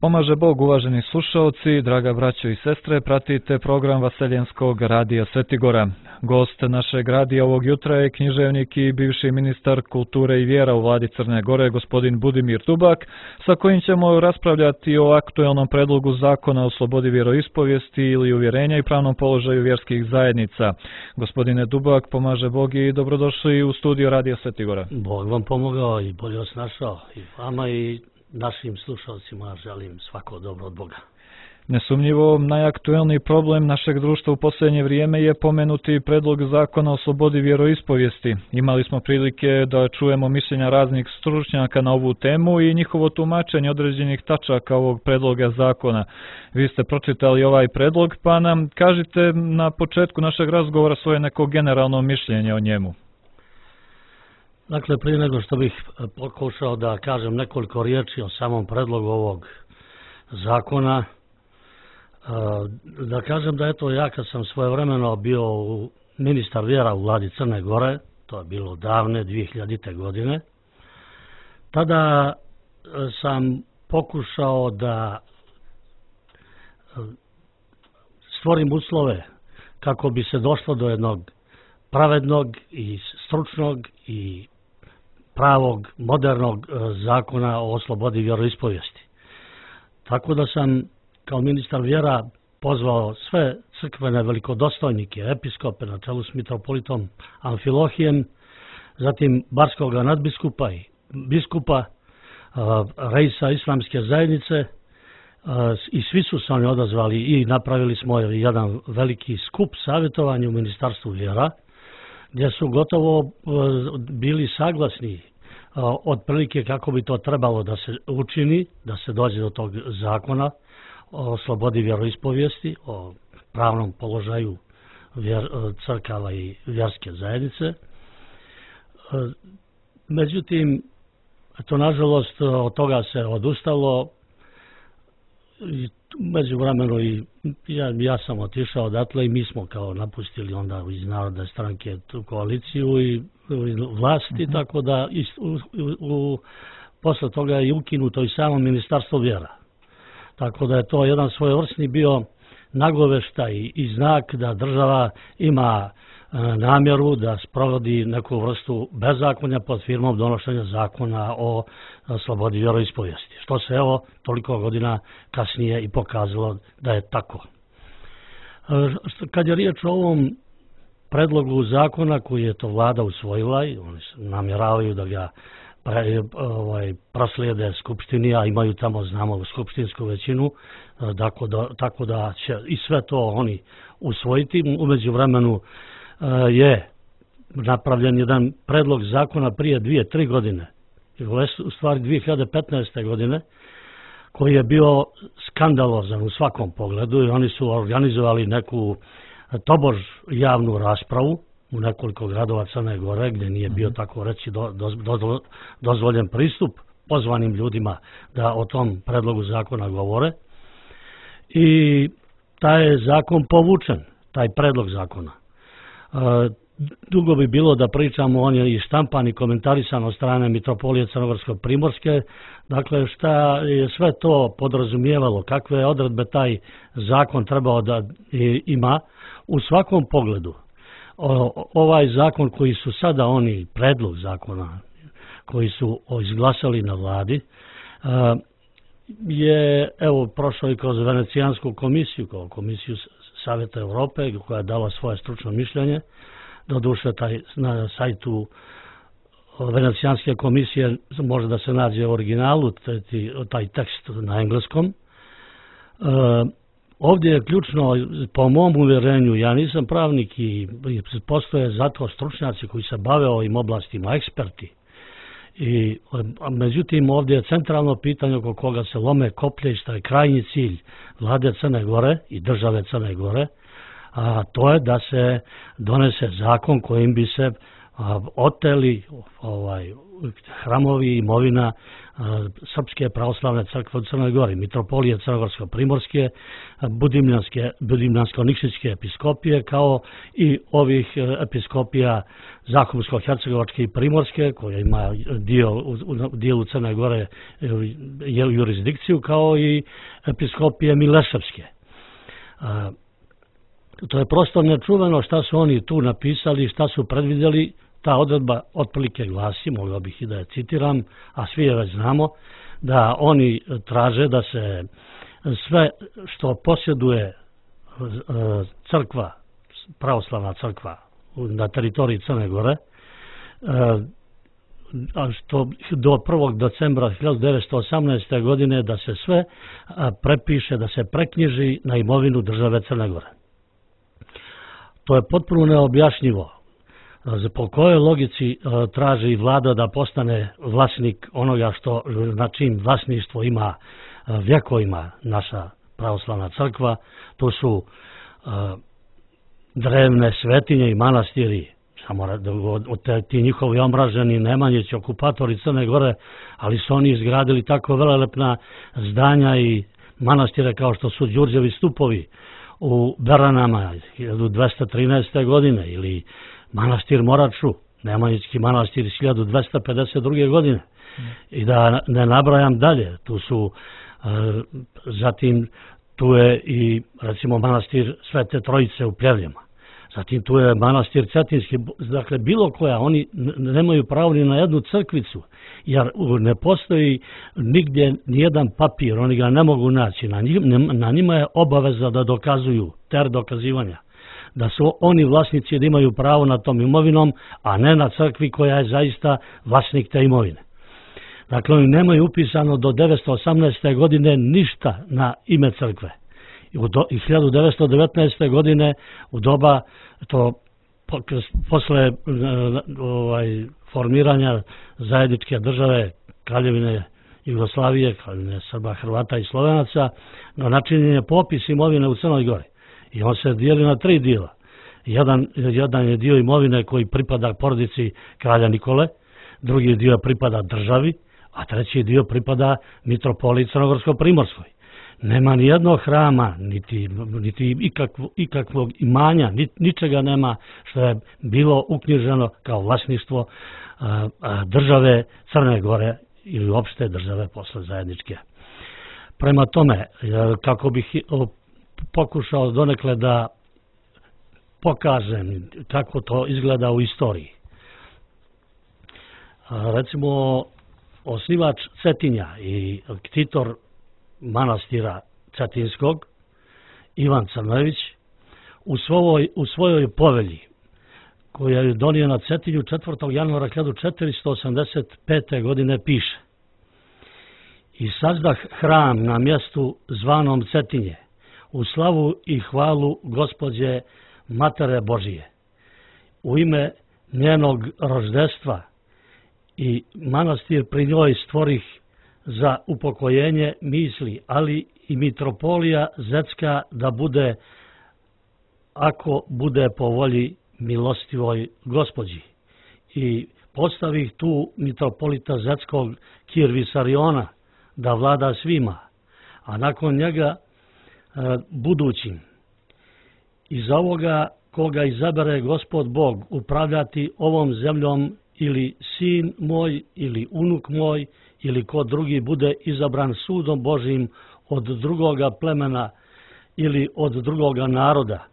Pomaže Bog, uvaženi slušalci, draga braćo i sestre, pratite program Vaseljenskog radija Svetigora. Gost našeg radija ovog jutra je književnik i bivši ministar kulture i vjera u vladi Crne Gore, gospodin Budimir Dubak, sa kojim ćemo raspravljati o aktuelnom predlogu zakona o slobodi vjeroispovijesti ili uvjerenja i pravnom položaju vjerskih zajednica. Gospodine Dubak, pomaže Bog i dobrodošli u studio radija Svetigora. Bog vam pomogao i bolje vas našao i vama i našim slušalcima želim svako dobro od Boga. Nesumnjivo, najaktuelniji problem našeg društva u posljednje vrijeme je pomenuti predlog zakona o slobodi vjeroispovijesti. Imali smo prilike da čujemo mišljenja raznih stručnjaka na ovu temu i njihovo tumačenje određenih tačaka ovog predloga zakona. Vi ste pročitali ovaj predlog, pa nam kažite na početku našeg razgovora svoje neko generalno mišljenje o njemu. Dakle, prije nego što bih pokušao da kažem nekoliko riječi o samom predlogu ovog zakona, da kažem da eto ja kad sam svojevremeno bio ministar vjera u vladi Crne Gore, to je bilo davne 2000. godine, tada sam pokušao da stvorim uslove kako bi se došlo do jednog pravednog i stručnog i pravog, modernog zakona o slobodi vjeroispovijesti. Tako da sam kao ministar vjera pozvao sve crkvene velikodostojnike, episkope na čelu s mitropolitom Amfilohijem, zatim barskog nadbiskupa i biskupa, reisa islamske zajednice, i svi su se oni odazvali i napravili smo jedan veliki skup savjetovanja u Ministarstvu vjera, gdje su gotovo bili saglasni otprilike kako bi to trebalo da se učini, da se dođe do tog zakona o slobodi vjeroispovijesti, o pravnom položaju crkava i vjerske zajednice. Međutim, to nažalost od toga se odustalo. Međuvremenu i ja sam otišao odatle i mi smo kao napustili onda iz Narodne stranke tu koaliciju i vlasti, tako da posle toga je ukinuto i samo Ministarstvo vjera. Tako da je to jedan svojevrsni bio nagoveštaj i znak da država ima namjeru da sprovodi neku vrstu bezakonja pod firmom donošenja zakona o slobodi vjeroispovijesti. Što se evo toliko godina kasnije i pokazalo da je tako. Kad je riječ o ovom predlogu zakona koji je to vlada usvojila i oni namjeravaju da ga proslijede Skupštini, a imaju tamo, znamo, skupštinsku većinu, tako da će i sve to oni usvojiti. U međuvremenu je napravljen jedan predlog zakona prije 2-3 godine, u stvari 2015. godine, koji je bio skandalozan u svakom pogledu i oni su organizovali neku tobož javnu raspravu u nekoliko gradova Crne Gore, gdje nije bio tako reći dozvoljen pristup pozvanim ljudima da o tom predlogu zakona govore. I taj je zakon povučen, taj predlog zakona. Dugo bi bilo da pričamo, on je i štampan i komentarisan od strane mitropolije Crnogorsko-Primorske, dakle šta je sve to podrazumijevalo, kakve odredbe taj zakon trebao da ima u svakom pogledu. Ovaj zakon koji su sada oni, predlog zakona koji su izglasali na vladi, je evo prošao i kroz Venecijansku komisiju, kao komisiju Savjeta Europe koja je dala svoje stručno mišljenje. Doduše na sajtu Venecijanske komisije može da se nađe u originalu taj tekst na engleskom. Ovdje je ključno, po mom uvjerenju, ja nisam pravnik i postoje zato stručnjaci koji se bave ovim oblastima, eksperti. Međutim, ovdje je centralno pitanje oko koga se lome koplje i šta je krajnji cilj vlade Crne Gore i države Crne Gore, a to je da se donese zakon kojim bi se oteli hramovi, imovina Srpske pravoslavne crkve u Crnoj Gori, Mitropolije Crnogorsko-Primorske, Budimljansko-Nikšićke episkopije, kao i ovih episkopija Zahumsko-Hercegovačke i Primorske, koja ima u dijelu Crne Gore jurisdikciju, kao i episkopije Mileševske. To je prosto nečuveno šta su oni tu napisali, šta su predvidjeli. Ta odredba otprilike glasi, mogao bih i da je citiram, a svi je već znamo, da oni traže da se sve što posjeduje crkva, pravoslavna crkva na teritoriji Crne Gore, što do 1. decembra 1918. godine da se sve prepiše, da se preknjiži na imovinu države Crne Gore. To je potpuno neobjašnjivo. Po kojoj logici traži vlada da postane vlasnik onoga što, na čim vlasništvo ima vjekovima naša pravoslavna crkva, to su drevne svetinje i manastiri, samo ti njihovi omraženi Nemanjići, okupatori Crne Gore, ali su oni izgradili tako velelepna zdanja i manastire kao što su Đurđevi stupovi u Beranama 1213. godine ili manastir Moraču, Nemanjićki manastir iz 1252. godine. I da ne nabrajam dalje, tu su, zatim tu je i recimo manastir Svete Trojice u Pljevljama. Zatim tu je manastir Cetinski, dakle bilo koja, oni nemaju pravo ni na jednu crkvicu, jer ne postoji nigdje nijedan papir, oni ga ne mogu naći, na njima je obaveza da dokazuju, ter dokazivanja, da su oni vlasnici da imaju pravo na tom imovinom, a ne na crkvi koja je zaista vlasnik te imovine. Dakle, oni nemaju upisano do 1918. godine ništa na ime crkve. I 1919. godine u doba to posle formiranja zajedničke države Kraljevine Jugoslavije, Kraljevine Srba, Hrvata i Slovenaca, načinjen je popis imovine u Crnoj Gori. I on se dijeli na 3 dijela. Jedan je dio imovine koji pripada porodici kralja Nikole, drugi dio pripada državi, a treći dio pripada Mitropoliji Crnogorsko-Primorskoj. Nema ni jednog hrama, niti ikakvog imanja, ničega nema što je bilo uknjiženo kao vlasništvo države Crne Gore ili opšte države posle zajedničke. Prema tome, kako bih pokušao donekle da pokažem kako to izgleda u istoriji. Recimo, osnivač Cetinja i ktitor manastira Cetinskog, Ivan Crnojević, u svojoj povelji, koja je donio na Cetinju 4. januara 1485. godine piše: "I sazdah hram na mjestu zvanom Cetinje, u slavu i hvalu Gospođe Matere Božije, u ime njenog roždestva i manastir pri njoj stvorih za upokojenje misli, ali i mitropolija Zetska da bude, ako bude po volji milostivoj Gospođi. I postavih tu mitropolita Zetskog Kirvisariona da vlada svima, a nakon njega budućim. Iz ovoga koga izabere Gospod Bog upravljati ovom zemljom ili sin moj ili unuk moj ili ko drugi bude izabran sudom Božim od drugoga plemena ili od drugoga naroda.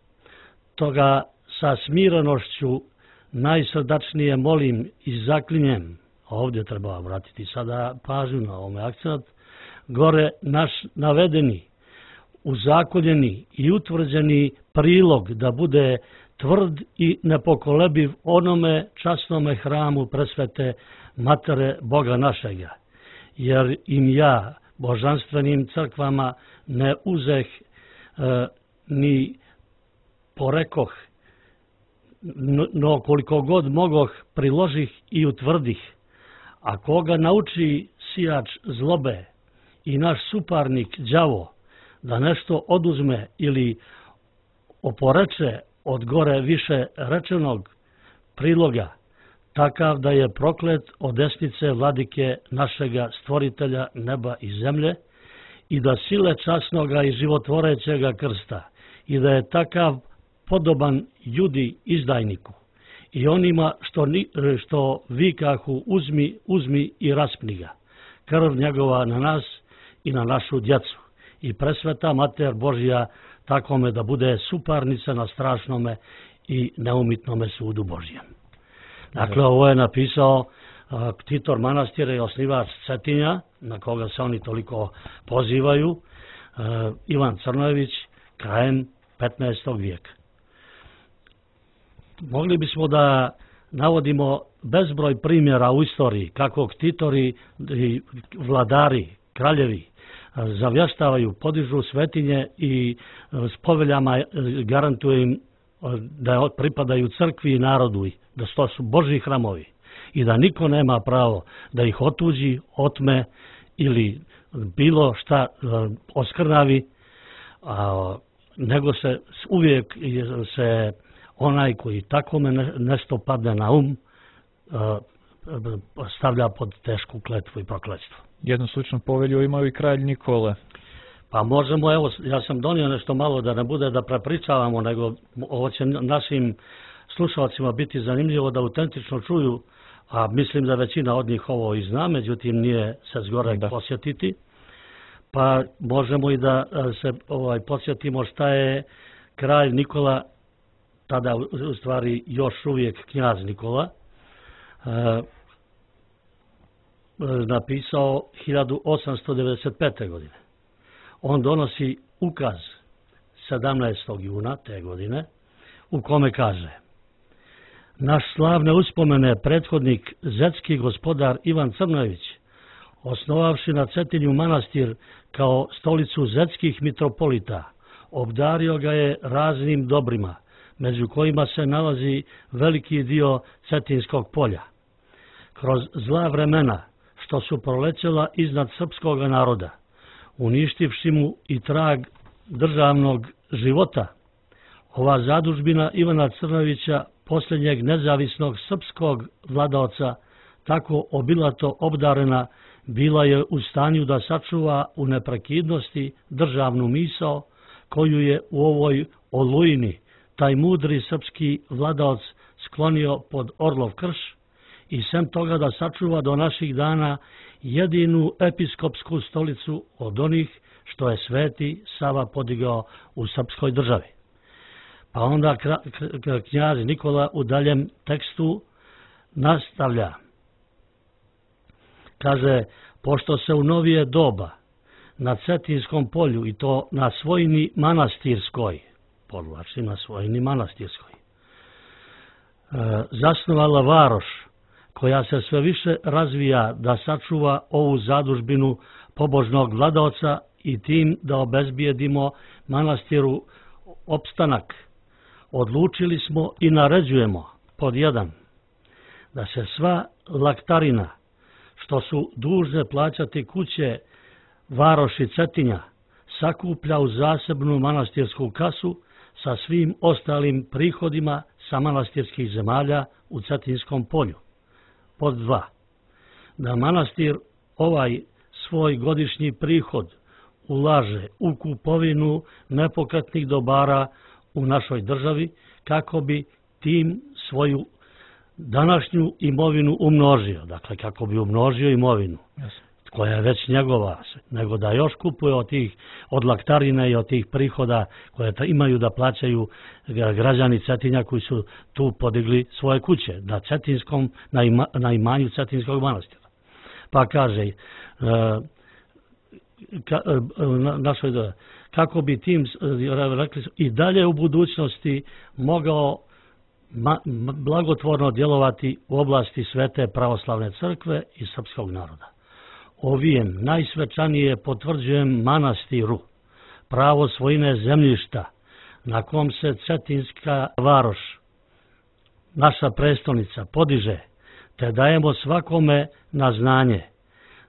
Toga sa smirenošću najsrdačnije molim i zaklinjem", ovdje treba vratiti sada pažnju na ovome akcent, "gore naš navedeni, uzakoljeni i utvrđeni prilog da bude tvrd i nepokolebiv onome časnome hramu presvete Matere Boga našega, jer im ja, božanstvenim crkvama, ne uzeh ni porekoh, no koliko god mogoh priložih i utvrdih, a koga nauči sijač zlobe i naš suparnik đavo da nešto oduzme ili oporeče od gore više rečenog priloga, takav da je proklet od desnice vladike našega stvoritelja neba i zemlje i da sile časnoga i životvorećega krsta i da je takav podoban judi izdajniku i onima što vikahu uzmi i raspni ga, krv njegova na nas i na našu djecu i presveta Mater Božja takome da bude suparnica na strašnome i neumitnome sudu Božjem. Dakle, ovo je napisao ktitor manastira i osnivač Cetinja, na koga se oni toliko pozivaju, Ivan Crnojević, krajem 15. vijeka. Mogli bismo da navodimo bezbroj primjera u istoriji kako ktitori i vladari, kraljevi zavještavaju, podižu svetinje i s poveljama garantuju im da pripadaju crkvi i narodu, da to su Božji hramovi i da niko nema pravo da ih otuđi, otme ili bilo šta oskrnavi, nego se uvijek se onaj koji takome nešto padne na stavlja pod tešku kletvu i prokletstvo. Jednu sličnu povelju imao i kralj Nikole. Pa možemo, evo, ja sam donio nešto malo da ne bude da prepričavamo, nego ovo će našim slušalcima biti zanimljivo da autentično čuju, a mislim da većina od njih ovo i zna, međutim nije se zgorek posjetiti. Pa možemo i da se podsjetimo šta je kralj Nikola, tada u stvari još uvijek knjaz Nikola, napisao 1895. godine. On donosi ukaz 17. juna te godine u kome kaže: naš slavne uspomene prethodnik zetski gospodar Ivan Crnojević, osnovavši na Cetinju manastir kao stolicu zetskih mitropolita, obdario ga je raznim dobrima, među kojima se nalazi veliki dio Cetinskog polja. Kroz zla vremena što su prolećela iznad srpskog naroda, uništivši mu i trag državnog života, ova zadužbina Ivana Crnojevića, posljednjeg nezavisnog srpskog vladaoca, tako obilato obdarena, bila je u stanju da sačuva u neprekidnosti državnu misao koju je u ovoj olujni taj mudri srpski vladaoc sklonio pod Orlov krš i sem toga da sačuva do naših dana jedinu episkopsku stolicu od onih što je Sveti Sava podigao u srpskoj državi. Pa onda knjaz Nikola u daljem tekstu nastavlja. Kaže, pošto se u novije doba na Cetinskom polju i to na svojini manastirskoj, podvlači na svojini manastirskoj, zasnovala varoš koja se sve više razvija da sačuva ovu zadužbinu pobožnog vladaoca i tim da obezbijedimo manastiru opstanak, odlučili smo i naređujemo pod 1 da se sva laktarina što su dužne plaćati kuće varoši Cetinja sakuplja u zasebnu manastirsku kasu sa svim ostalim prihodima sa manastirskih zemalja u Cetinskom polju. Pod 2. Da manastir ovaj svoj godišnji prihod ulaže u kupovinu nepokretnih dobara u našoj državi kako bi tim svoju današnju imovinu umnožio. Dakle, kako bi umnožio imovinu koja je već njegova, nego da još kupuje od laktarine i od tih prihoda koje imaju da plaćaju građani Cetinja koji su tu podigli svoje kuće na imanju Cetinskog manastira. Pa kaže, kako bi tim rekli, i dalje u budućnosti mogao blagotvorno djelovati u oblasti Svete pravoslavne crkve i srpskog naroda. Ovijem najsvečanije potvrđujem manastiru pravo svojine zemljišta na kom se Cetinska varoš, naša prestolnica, podiže, te dajemo svakome na znanje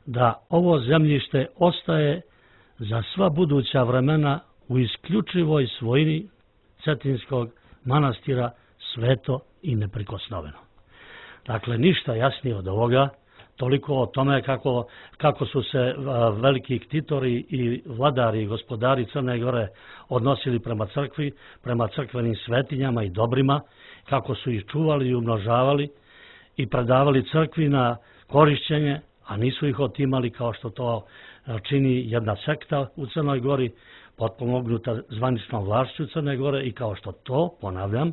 da ovo zemljište ostaje za sva buduća vremena u isključivoj svojini Cetinskog manastira sveto i neprikosnoveno. Dakle, ništa jasnije od ovoga, toliko o tome kako su se veliki ktitori i vladari i gospodari Crne Gore odnosili prema crkvi, prema crkvenim svetinjama i dobrima, kako su ih čuvali i umnožavali i predavali crkvi na korišćenje, a nisu ih otimali kao što to čini jedna sekta u Crnoj Gori, potpomognuta zvaničnom vlašću Crne Gore i kao što to, ponavljam,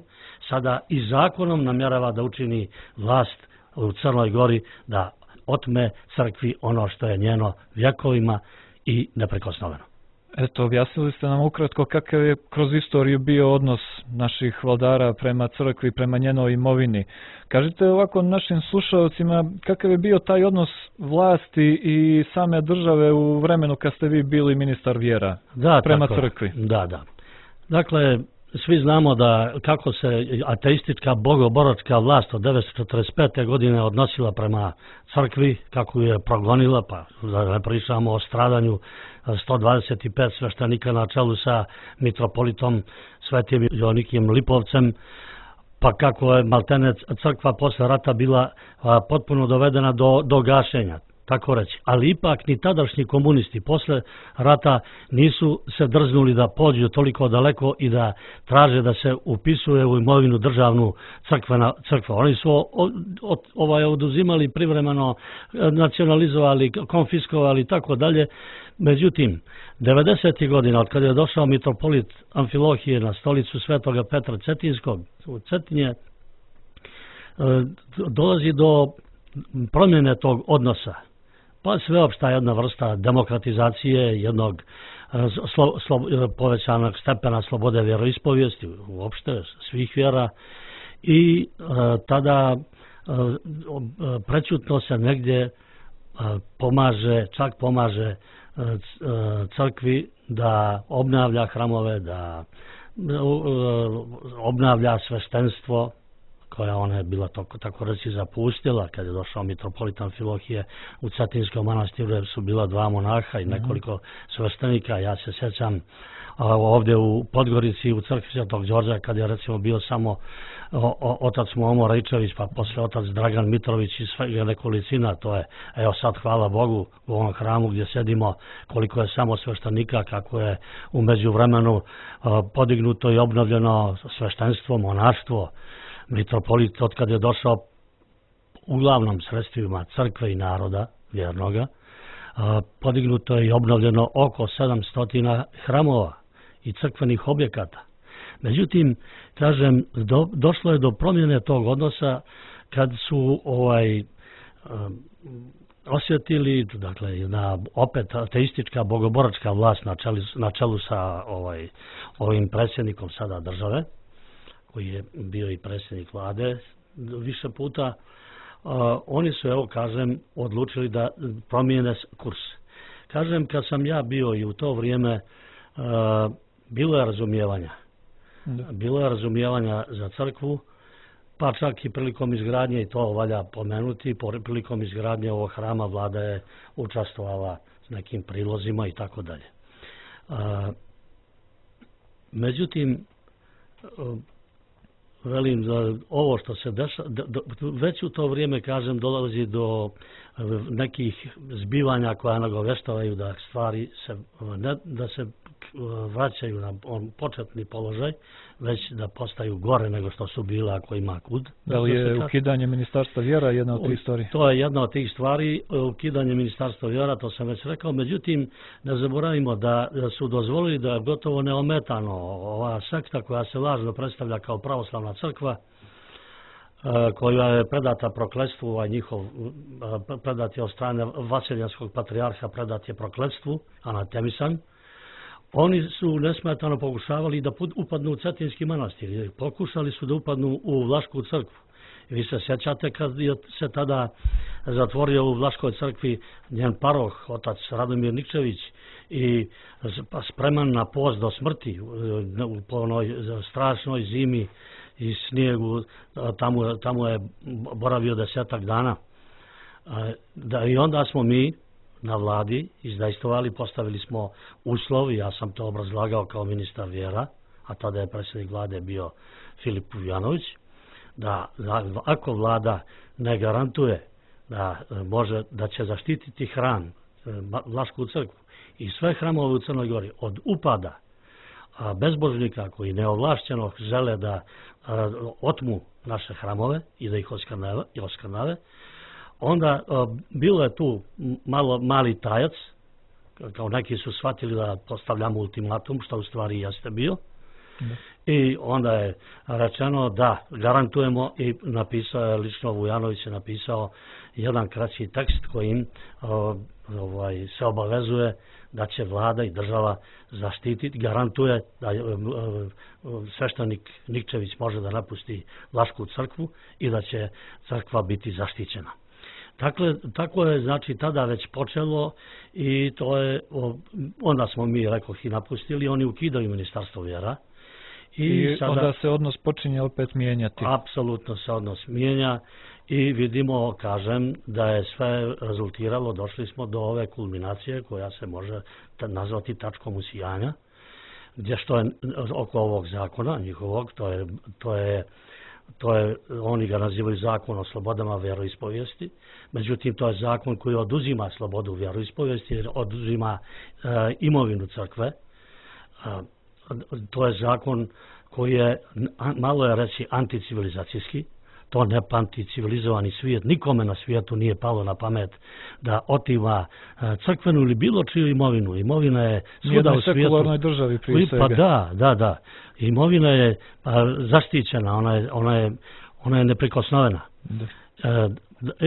sada i zakonom namjerava da učini vlast u Crnoj Gori da otme crkvi ono što je njeno vjekovima i neprikosnoveno. Eto, objasnili ste nam ukratko kakav je kroz istoriju bio odnos naših vladara prema crkvi, prema njenoj imovini. Kažite ovako našim slušalcima kakav je bio taj odnos vlasti i same države u vremenu kad ste vi bili ministar vjera prema crkvi. Da. Dakle, svi znamo da kako se ateistička bogoboročka vlast od 1945. godine odnosila prema crkvi, kako je progonila, pa da ne pričamo o stradanju 125 sveštenika na čelu sa mitropolitom Svetim Joanikijem Lipovcem, pa kako je maltene crkva posle rata bila potpuno dovedena do gašenja, tako reći. Ali ipak ni tadašnji komunisti posle rata nisu se drznuli da pođu toliko daleko i da traže da se upisuje u imovinu državnu crkva. Oni su oduzimali privremeno, nacionalizovali, konfiskovali i tako dalje. Međutim, 90. godina, od kada je došao mitropolit Amfilohije na stolicu Svetoga Petra Cetinskog u Cetinje, dolazi do promjene tog odnosa. Pa sveopšta jedna vrsta demokratizacije, jednog povećanog stepena slobode vjeroispovijesti, uopšte svih vjera, i tada prećutno se negdje čak pomaže crkvi da obnavlja hramove, da obnavlja sveštenstvo, koja ona je bila tako reći zapustila kad je došao mitropolit Amfilohije. U Cetinskom manastiru su bila 2 monaha i nekoliko sveštenika. Ja se sjećam ovdje u Podgorici u crkvi Svetog Đorđa kad je recimo bio samo otac Momo Rajčević, pa posle otac Dragan Mitrović i sve nekolicina. To je, evo sad hvala Bogu, u ovom hramu gdje sedimo, koliko je samo sveštenika, kako je u međuvremenu podignuto i obnovljeno sveštenstvo, monaštvo. Mitropolit, od kad je došao uglavnom sredstvima crkve i naroda vjernoga, podignuto je i obnovljeno oko 700 hramova i crkvenih objekata. Međutim, kažem, došlo je do promjene tog odnosa kad su osjetili, dakle, opet ateistička bogoboračka vlast na čelu sa ovim predsjednikom sada države, koji je bio i predsjednik vlade više puta, oni su, evo kažem, odlučili da promijene kurs. Kažem, kad sam ja bio i u to vrijeme, bilo je razumijevanja. Bilo je razumijevanja za crkvu, pa čak i prilikom izgradnje, i to valja pomenuti, prilikom izgradnje ovog hrama vlada je učestvovala s nekim prilozima i tako dalje. Međutim, velim da ovo što se dešava, već u to vrijeme, kažem, dolazi do nekih zbivanja koja nagoveštavaju da stvari da se vraćaju na početni položaj, već da postaju gore nego što su bile ako ima kud. Da li je ukidanje Ministarstva vjera jedna od tih stvari? To je jedna od tih stvari, ukidanje Ministarstva vjera, to sam već rekao. Međutim, ne zaboravimo da su dozvolili da gotovo neometano ova sekta koja se lažno predstavlja kao pravoslavna crkva, koja je predata prokletstvu, predat je od strane Vaseljanskog patrijarha, predat je prokletstvu, anatemisan. Oni su nesmetano pokušavali da upadnu u Cetinski manastir. Pokušali su da upadnu u Vlašku crkvu. Vi se sjećate kad je se tada zatvorio u Vlaškoj crkvi njen paroh, otac Radomir Nikčević, i spreman na post do smrti po onoj strašnoj zimi i snijegu, tamo je boravio 10 dana. I onda smo mi na vladi izdejstvovali, postavili smo uslov, ja sam to obrazlagao kao ministar vjera, a tada je predsjednik vlade bio Filip Vujanović, da ako vlada ne garantuje da će zaštititi hram, Vlašku crkvu i sve hramove u Crnoj Gori od upada bezbožnika koji neovlašćeno žele da otmu naše hramove i da ih oskrnave, onda bilo je tu mali tajac, kao neki su shvatili da postavljamo ultimatum, što u stvari jeste bio. I onda je rečeno da garantujemo i napisao je, lično Vujanović je napisao jedan kraći tekst kojim se obavezuje da će vlada i država zaštititi, garantuje da sveštenik Nikčević može da napusti Vlašku crkvu i da će crkva biti zaštićena. Dakle, tako je, znači, tada već počelo i to je, onda smo mi, rekoh, i napustili, oni ukidaju Ministarstvo vjera. I onda se odnos počinje opet mijenjati. Apsolutno se odnos mijenja i vidimo, kažem, da je sve rezultiralo, došli smo do ove kulminacije koja se može nazvati tačkom usijanja, gdje što je oko ovog zakona njihovog, to je, oni ga nazivaju zakon o slobodama vjeroispovijesti, međutim to je zakon koji oduzima slobodu vjeroispovijesti, jer oduzima imovinu crkve. To je zakon koji je, malo je reći, anticivilizacijski. To ne pamti civilizovani svijet. Nikome na svijetu nije palo na pamet da otima crkvenu ili bilo čiju imovinu. Imovina je svuda u svijetu. Sekularnoj državi prije svega. Pa da. Imovina je zaštićena, ona je neprikosnovena.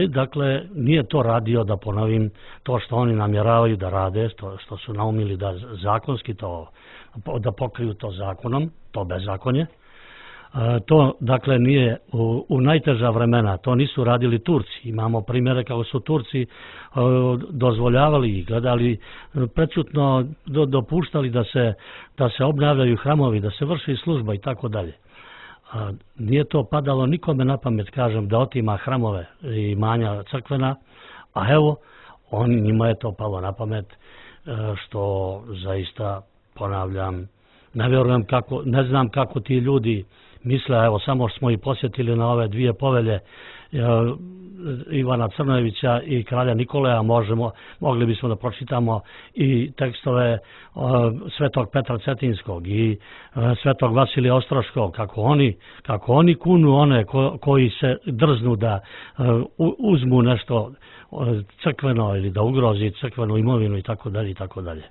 Dakle, nije to radio, da ponovim, to što oni namjeravaju da rade, što su naumili da zakonski da pokriju to zakonom, to bezakonje. To, dakle, nije u najteža vremena, to nisu radili Turci. Imamo primjere kako su Turci dozvoljavali i gledali, prečutno dopuštali da se obnavljaju hramovi, da se vrši služba i tako dalje. Nije to padalo nikome na pamet, kažem, da otima hramove i imanja crkvena, a evo, njima je to palo na pamet, što zaista, ponavljam, ne vjerujem ne znam kako ti ljudi misle, evo samo smo i posjetili na ove dvije povelje Ivana Crnojevića i kralja Nikolaja, mogli bismo da pročitamo i tekstove svetog Petra Cetinskog i svetog Vasilija Ostroškog, kako oni kunu one koji se drznu da uzmu nešto crkveno ili da ugrozi crkvenu imovinu i tako dalje i tako dalje.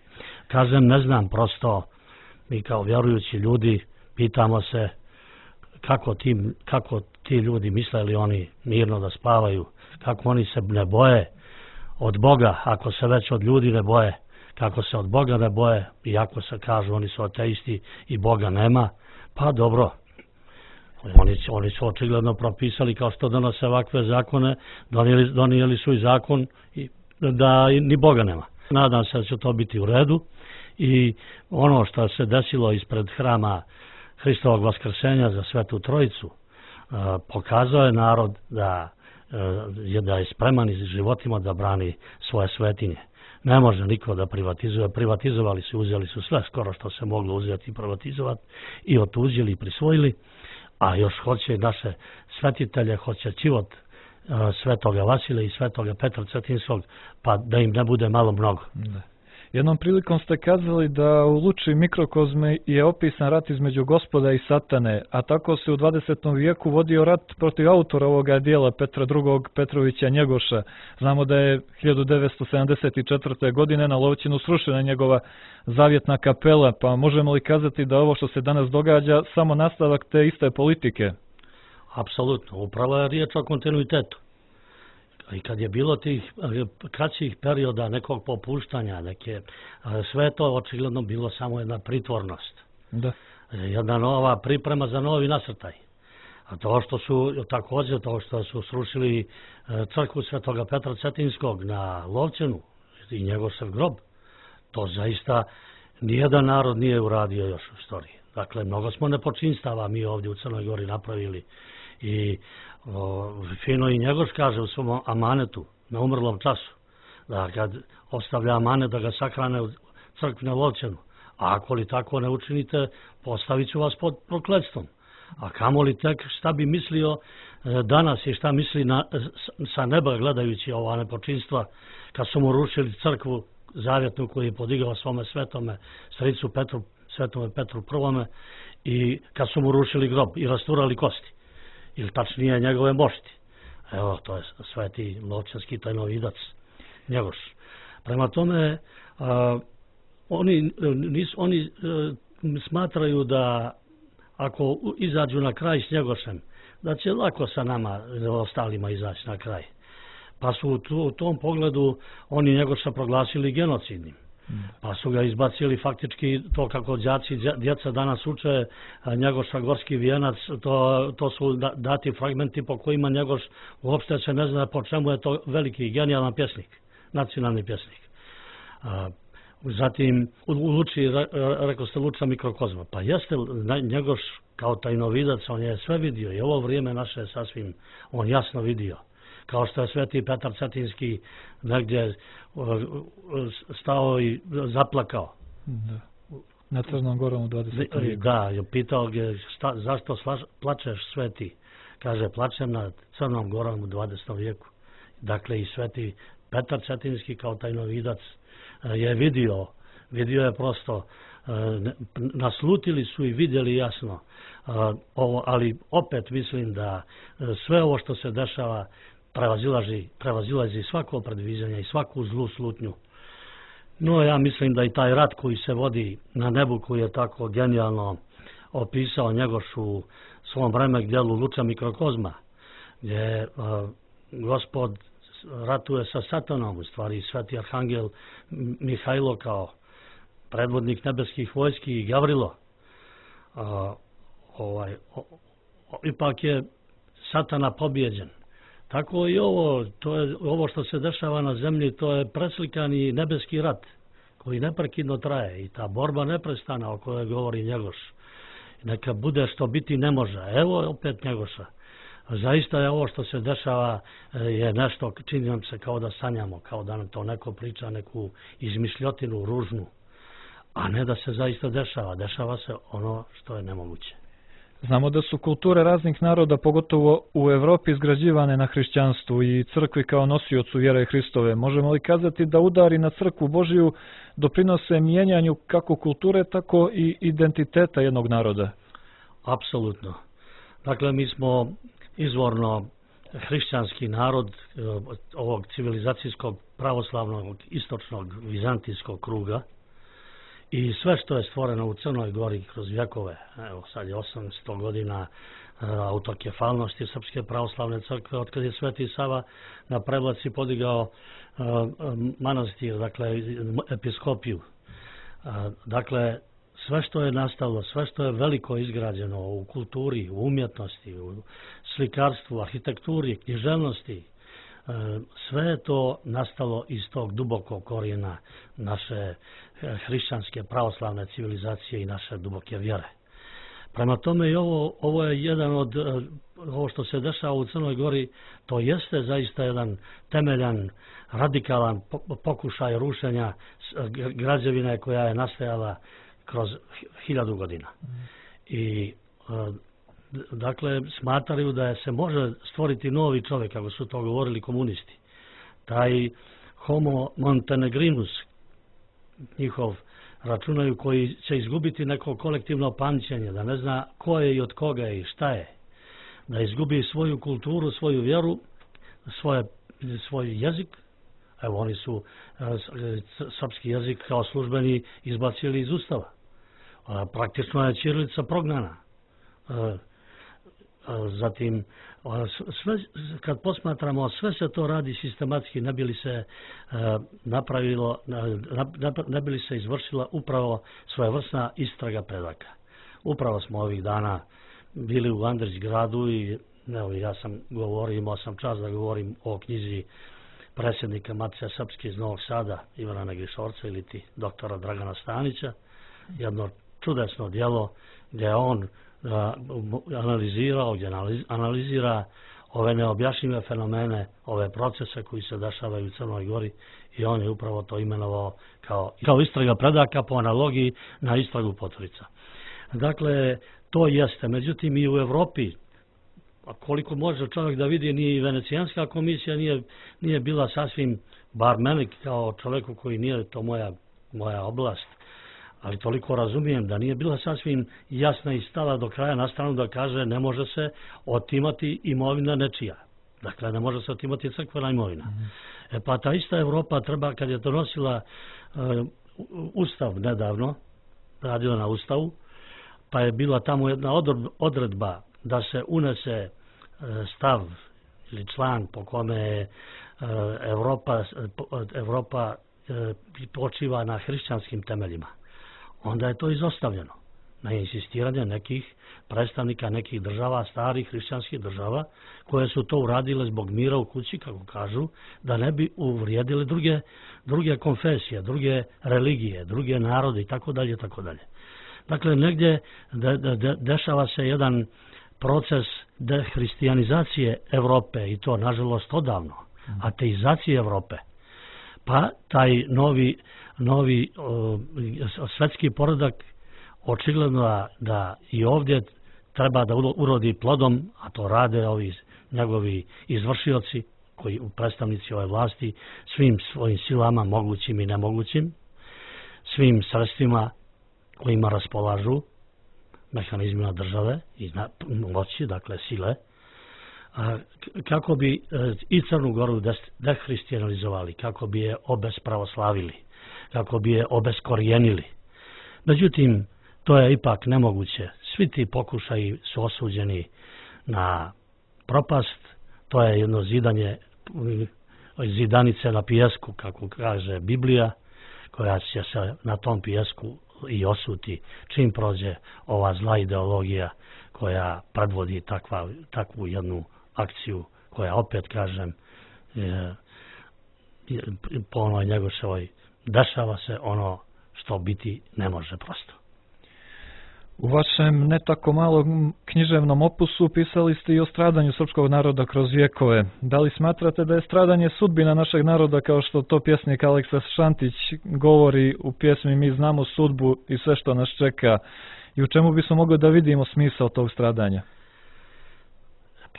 Kažem, ne znam, prosto mi kao vjerujući ljudi pitamo se kako ti ljudi misle li oni mirno da spavaju, kako oni se ne boje od Boga, ako se već od ljudi ne boje, kako se od Boga ne boje, iako se kažu oni su ateisti i Boga nema, pa dobro. Oni su očigledno propisali, kao što donose ovakve zakone, donijeli su i zakon da ni Boga nema. Nadam se da će to biti u redu i ono što se desilo ispred hrama Hristovog vaskrsenja za Svetu Trojicu pokazao je narod da je spreman iz životima da brani svoje svetinje. Ne može niko da privatizuje. Privatizovali su, uzeli su sve skoro što se moglo uzeti i privatizovati i otuđili i prisvojili, a još hoće naše svetitelje, hoće život svetoga Vasilija i svetoga Petra Cetinskog, pa da im ne bude malo mnogo. Jednom prilikom ste kazali da u Luči mikrokozme je opisan rat između Gospoda i Satane, a tako se u 20. vijeku vodio rat protiv autora ovoga dijela Petra II. Petrovića Njegoša. Znamo da je 1974. godine na Lovćinu srušena njegova zavjetna kapela, pa možemo li kazati da ovo što se danas događa samo nastavak te iste politike? Apsolutno, upravo je riječ o kontinuitetu. I kad je bilo tih kraćih perioda nekog popuštanja, sve to očigledno bilo samo jedna pritvornost. Da. Jedna nova priprema za novi nasrtaj. A to što su srušili crkvu svetoga Petra Cetinskog na Lovćenu i njegov grob, to zaista nijedan narod nije uradio još u istoriji. Dakle, mnogo smo nepočinstava mi ovdje u Crnoj Gori napravili i fino i Njegoš kaže u svom amanetu na umrlom času, da kad ostavlja amanet da ga sahrane u crkvi na Lovćenu, a ako li tako ne učinite, postavit ću vas pod prokletstvom. A kamoli tek šta bi mislio danas i šta misli sa neba gledajući ova nepočinstva kad su mu rušili crkvu zavjetnu koju je podigao svome svetome stricu Petru, svetome Petru I i kad su mu rušili grob i rasturali kosti ili tačnije njegove mošti. Evo, to je sveti Lovćanski tajnovidac Njegoš. Prema tome, oni smatraju da ako izađu na kraj s Njegošem, da će lako sa nama ostalima izaći na kraj. Pa su u tom pogledu oni Njegoša proglasili genocidnim. Pa su ga izbacili faktički to kako djeca danas uče Njegoša Gorski vijenac, to su dati fragmenti po kojima Njegoš uopšte se ne zna po čemu je to veliki genijalan pjesnik, nacionalni pjesnik. Zatim u Luči, rekao ste Luča mikrokozma, pa jeste Njegoš kao tajnovidac, on je sve vidio i ovo vrijeme naše je sasvim on jasno vidio. Kao što je sveti Petar Cetinski negdje stao i zaplakao. Da. Na Crnom Gorom u 20. vijeku. Da, je pitao ga zašto plačeš sveti. Kaže, plačem na Crnom Gorom u 20. vijeku. Dakle, i sveti Petar Cetinski kao tajnovidac je vidio je prosto, naslutili su i vidjeli jasno. Ali opet mislim da sve ovo što se dešava prevazilazi svako predviđanje i svaku zlu slutnju. No, ja mislim da i taj rat koji se vodi na nebu, koji je tako genijalno opisao Njegoš u svom remek djelu Luča mikrokozma, gdje Gospod ratuje sa Satanom, u stvari sveti arhangel Mihajlo kao predvodnik nebeskih vojski i Gavrilo. Ipak je Satana pobjeđen. Tako i ovo što se dešava na zemlji, to je preslikani nebeski rat koji neprekidno traje i ta borba neprestana o kojoj govori Njegoš. Neka bude što biti ne može. Evo opet Njegoša. Zaista je ovo što se dešava je nešto, čini nam se kao da sanjamo, kao da nam to neko priča, neku izmišljotinu ružnu, a ne da se zaista dešava. Dešava se ono što je nemoguće. Znamo da su kulture raznih naroda, pogotovo u Evropi, izgrađivane na hrišćanstvu i crkvi kao nosiocu vjere Hristove. Možemo li kazati da udari na crkvu Božiju doprinose mijenjanju kako kulture, tako i identiteta jednog naroda? Apsolutno. Dakle, mi smo izvorno hrišćanski narod ovog civilizacijskog, pravoslavnog, istočnog, vizantijskog kruga. I sve što je stvoreno u Crnoj Gori kroz vjekove, evo sad je 800 godina autokefalnosti Srpske pravoslavne crkve, otkad je Sveti Sava na Prevlaci podigao manastir, dakle episkopiju. Dakle, sve što je nastalo, sve što je veliko izgrađeno u kulturi, u umjetnosti, u slikarstvu, arhitekturi, književnosti, sve je to nastalo iz tog dubokog korijena naše hrišćanske pravoslavne civilizacije i naše duboke vjere. Prema tome i ovo je jedan od, ovo što se dešava u Crnoj Gori, to jeste zaista jedan temeljan, radikalan pokušaj rušenja građevine koja je nastajala kroz 1000 godina. I dakle, smatraju da se može stvoriti novi čovjek, kako su to govorili komunisti. Taj homo montenegrinus, njihov računaju, koji će izgubiti neko kolektivno pamćenje, da ne zna ko je i od koga je i šta je. Da izgubi svoju kulturu, svoju vjeru, svoj jezik. Evo, oni su srpski jezik kao službeni izbacili iz Ustava. Praktično je ćirilica prognana. Zatim, sve, kad posmatramo, sve se to radi sistematski, ne bi li se napravilo, ne bi li se izvršila upravo svojevrsna istraga predaka. Upravo smo ovih dana bili u Andrićgradu i evo, ja sam govorio, imao sam čast da govorim o knjizi predsjednika Matice Srpske iz Novog Sada, Ivana Negrišorca ili ti doktora Dragana Stanića, jedno čudesno djelo gdje on gdje analizira ove neobjašnjive fenomene, ove procese koji se dešavaju u Crnoj Gori i on je upravo to imenovao kao istraga predaka po analogiji na istragu Poturica. Dakle, To jeste, međutim i u Evropi, a koliko može čovjek da vidi, ni Venecijanska komisija nije bila sasvim, bar meni kao čovjeku koji nije to moja oblast, ali toliko razumijem da nije bila sasvim jasna i stala do kraja na stranu da kaže ne može se otimati imovina nečija. Dakle, ne može se otimati crkvena imovina. Pa ta ista Evropa treba, kad je donosila Ustav nedavno, radila na Ustavu, pa je bila tamo jedna odredba da se unese stav ili član po kome Evropa počiva na hrišćanskim temeljima. Onda je to izostavljeno na insistiranje nekih predstavnika nekih država, starih hrišćanskih država, koje su to uradile zbog mira u kući, kako kažu, da ne bi uvrijedili druge konfesije, druge religije, druge narode i tako dalje, tako dalje. Dakle, negdje dešava se jedan proces dehrišćanizacije Evrope i to, nažalost, odavno, ateizacije Evrope. Pa taj novi svetski poredak očigledno da i ovdje treba da urodi plodom, a to rade ovi njegovi izvršioci, koji predstavnici ove vlasti, svim svojim silama, mogućim i nemogućim, svim sredstvima kojima raspolažu, mehanizmima države i moći, dakle sile, kako bi i Crnu Goru dehrišćanizovali, kako bi je obespravoslavili, kako bi je obeskorijenili. Međutim, to je ipak nemoguće. Svi ti pokušaji su osuđeni na propast. To je jedno zidanice na pijesku, kako kaže Biblija, koja će se na tom pijesku i osuti čim prođe ova zla ideologija koja predvodi takvu jednu akciju koja, opet kažem, po onoj Njegoševoj dešava se ono što biti ne može prosto. U vašem ne tako malom književnom opusu pisali ste i o stradanju srpskog naroda kroz vjekove. Da li smatrate da je stradanje sudbina našeg naroda, kao što to pjesnik Aleksa Šantić govori u pjesmi Mi znamo sudbu i sve što nas čeka, i u čemu bismo mogli da vidimo smisao tog stradanja?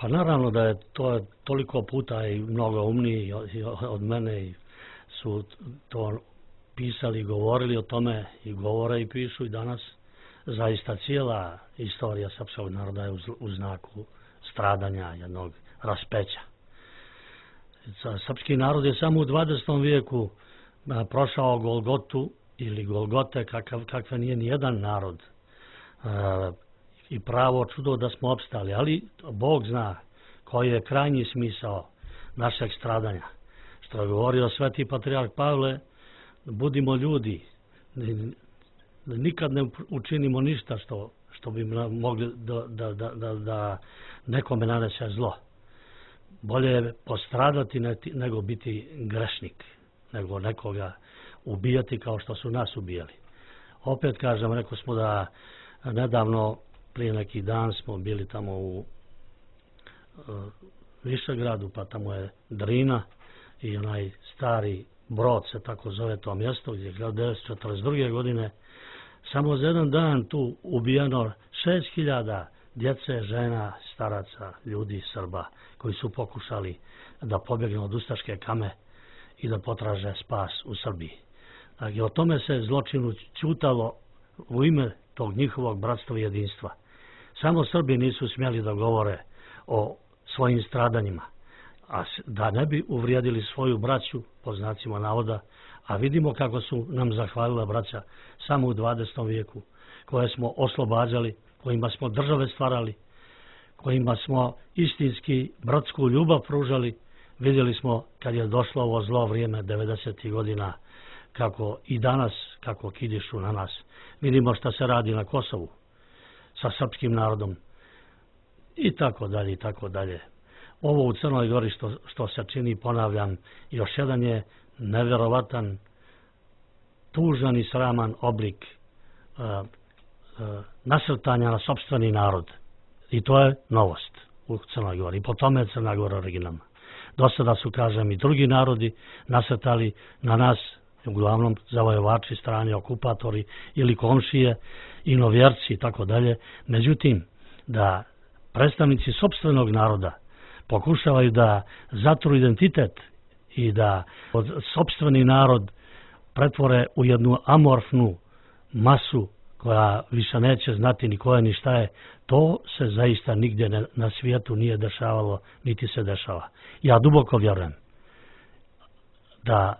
Pa naravno da je to toliko puta i mnogo umniji od mene i su to pisali i govorili o tome i govore i pišu i danas. Zaista cijela istorija srpskog naroda je u znaku stradanja, jednog raspeća. Srpski narod je samo u 20. vijeku prošao Golgotu ili Golgote kakve nije ni jedan narod. I pravo čudo da smo opstali, ali Bog zna koji je krajnji smisao našeg stradanja. Što je govorio sveti patrijarh Pavle, budimo ljudi, nikad ne učinimo ništa što bi mogli da nekome nanese zlo. Bolje je postradati nego biti grešnik, nego nekoga ubijati kao što su nas ubijali. Opet kažem, rekao smo da nedavno, prije neki dan smo bili tamo u Višegradu, pa tamo je Drina i onaj stari Brod se tako zove to mjesto, gdje je 1942. godine samo za jedan dan tu ubijeno 6.000 djece, žena, staraca, ljudi, Srba, koji su pokušali da pobjegnu od ustaške kame i da potraže spas u Srbiji. Dakle, o tome se zločinu ćutalo u ime tog njihovog bratstva i jedinstva. Samo Srbi nisu smjeli da govore o svojim stradanjima, a da ne bi uvrijedili svoju braću, po znacima navoda, a vidimo kako su nam zahvalila braća samo u 20. vijeku, koje smo oslobađali, kojima smo države stvarali, kojima smo istinski bratsku ljubav pružali. Vidjeli smo kad je došlo ovo zlo vrijeme 90. godina, kako i danas, kako kidišu na nas. Vidimo šta se radi na Kosovu sa srpskim narodom i tako dalje, i tako dalje. Ovo u Crnoj Gori što se čini, ponavljam, još jedan je nevjerovatan, tužan i sraman oblik nasrtanja na sopstveni narod. I to je novost u Crnoj Gori. I po tome je Crna Gora originalna. Do sada su, kažem, i drugi narodi nasrtali na nas uglavnom zavojevači, strani okupatori ili komšije, inovjerci i tako dalje. Međutim, da predstavnici sopstvenog naroda pokušavaju da zatru identitet i da sopstveni narod pretvore u jednu amorfnu masu koja više neće znati ni ko je ni šta je, to se zaista nigdje na svijetu nije dešavalo, niti se dešava. Ja duboko vjerujem da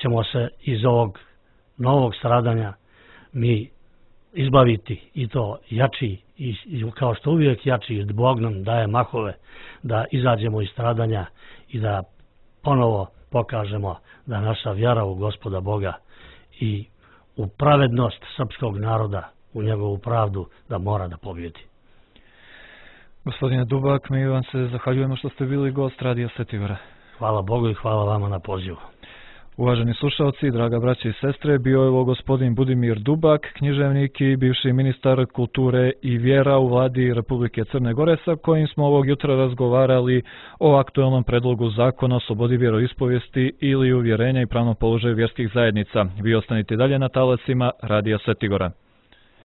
ćemo se iz ovog novog stradanja mi izbaviti i to jači, i kao što uvijek jači, Bog nam daje mahove da izađemo iz stradanja i da ponovo pokažemo da naša vjera u Gospoda Boga i u pravednost srpskog naroda, u njegovu pravdu, da mora da pobjedi. Gospodine Dubak, mi vam se zahvaljujemo što ste bili gost Radija Sveti Gora. Hvala Bogu i hvala vama na pozivu. Uvaženi slušalci, draga braća i sestre, bio je ovo gospodin Budimir Dubak, književnik i bivši ministar kulture i vjera u vladi Republike Crne Gore, sa kojim smo ovog jutra razgovarali o aktuelnom predlogu zakona o slobodi vjeroispovijesti ili uvjerenja i pravnom položaju vjerskih zajednica. Vi ostanite dalje na talasima Radija Sveti Gora.